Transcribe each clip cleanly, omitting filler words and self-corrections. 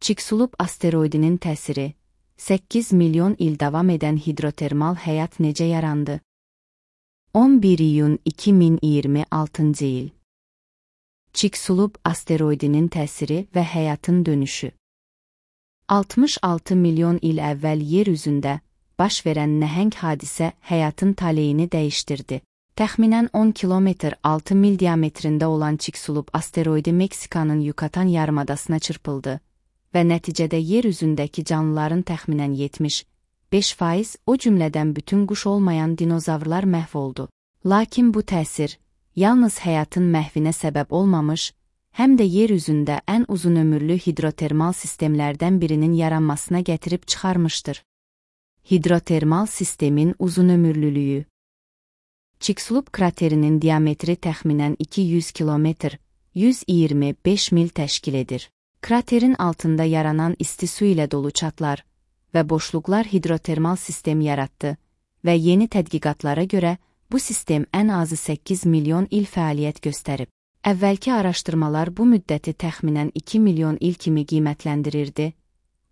Chicxulub asteroidinin təsiri, 8 milyon il davam edən hidrotermal həyat necə yarandı? 11 iyun 2026-cı il. Chicxulub asteroidinin təsiri və həyatın dönüşü. 66 milyon il əvvəl yer üzündə baş verən nəhəng hadisə həyatın taleyini dəyişdirdi. Təxminən 10 kilometr 6 mil diametrində olan Chicxulub asteroidi Meksikanın Yucatan yarımadasına çırpıldı və nəticədə yer üzündəki canlıların təxminən 75%, o cümlədən bütün quş olmayan dinozavrlar məhv oldu. Lakin bu təsir yalnız həyatın məhvinə səbəb olmamış, həm də yer üzündə ən uzunömürlü hidrotermal sistemlərdən birinin yaranmasına gətirib çıxarmışdır. Hidrotermal sistemin uzunömürlülüyü. Chicxulub kraterinin diametri təxminən 200 kilometr, 125 mil təşkil edir. Kraterin altında yaranan isti su ilə dolu çatlar və boşluqlar hidrotermal sistem yaratdı və yeni tədqiqatlara görə bu sistem ən azı 8 milyon il fəaliyyət göstərib. Əvvəlki araşdırmalar bu müddəti təxminən 2 milyon il kimi qiymətləndirirdi,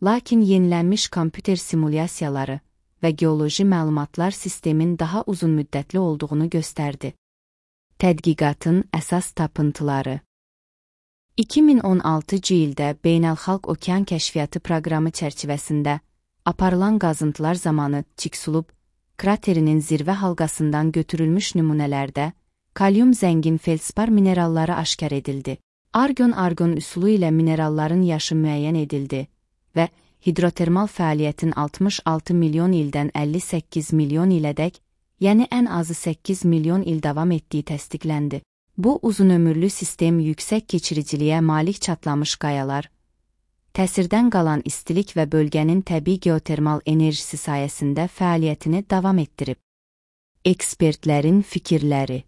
lakin yenilənmiş kompüter simulyasiyaları və geoloji məlumatlar sistemin daha uzun müddətli olduğunu göstərdi. Tədqiqatın əsas tapıntıları. 2016-cı ildə Beynəlxalq Okean Kəşfiyyatı proqramı çərçivəsində aparılan qazıntılar zamanı Chicxulub kraterinin zirvə halqasından götürülmüş nümunələrdə kalyum zəngin feldspar mineralları aşkar edildi. Argon üsulu ilə mineralların yaşı müəyyən edildi və hidrotermal fəaliyyətin 66 milyon ildən 58 milyon ilədək, yəni ən azı 8 milyon il davam etdiyi təsdiqləndi. Bu uzunömürlü sistem yüksək keçiriciliyə malik çatlamış qayalar, təsirdən qalan istilik və bölgənin təbii geotermal enerjisi sayəsində fəaliyyətini davam etdirib. Ekspertlərin fikirləri.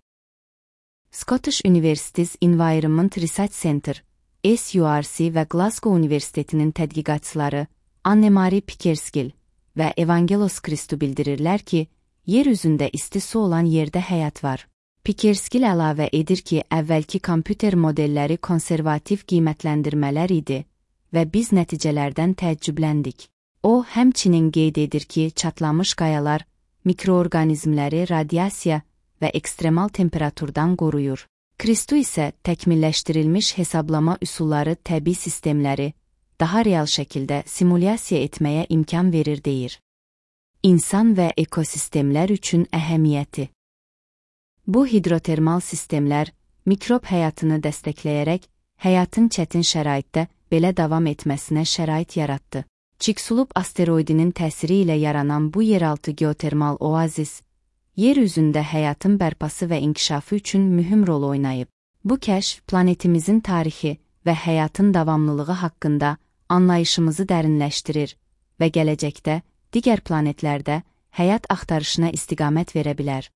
Scottish Universities Environment Research Center, SURC və Glasgow Universitetinin tədqiqatçıları Anne-Marie Pickersgill və Evangelos Christou bildirirlər ki, yer üzündə isti su olan yerdə həyat var. Pickersgill əlavə edir ki, əvvəlki kompüter modelləri konservativ qiymətləndirmələr idi və biz nəticələrdən təəccübləndik. O, həmçinin qeyd edir ki, çatlamış qayalar mikroorqanizmləri radiasiya və ekstremal temperaturdan qoruyur. Christou isə təkmilləşdirilmiş hesablama üsulları təbii sistemləri daha real şəkildə simulyasiya etməyə imkan verir deyir. İnsan və ekosistemlər üçün əhəmiyyəti. Bu hidrotermal sistemlər mikrob həyatını dəstəkləyərək həyatın çətin şəraitdə belə davam etməsinə şərait yaratdı. Chicxulub asteroidinin təsiri ilə yaranan bu yeraltı geotermal oazis, yer üzündə həyatın bərpası və inkişafı üçün mühüm rol oynayıb. Bu kəşf planetimizin tarixi və həyatın davamlılığı haqqında anlayışımızı dərinləşdirir və gələcəkdə digər planetlərdə həyat axtarışına istiqamət verə bilər.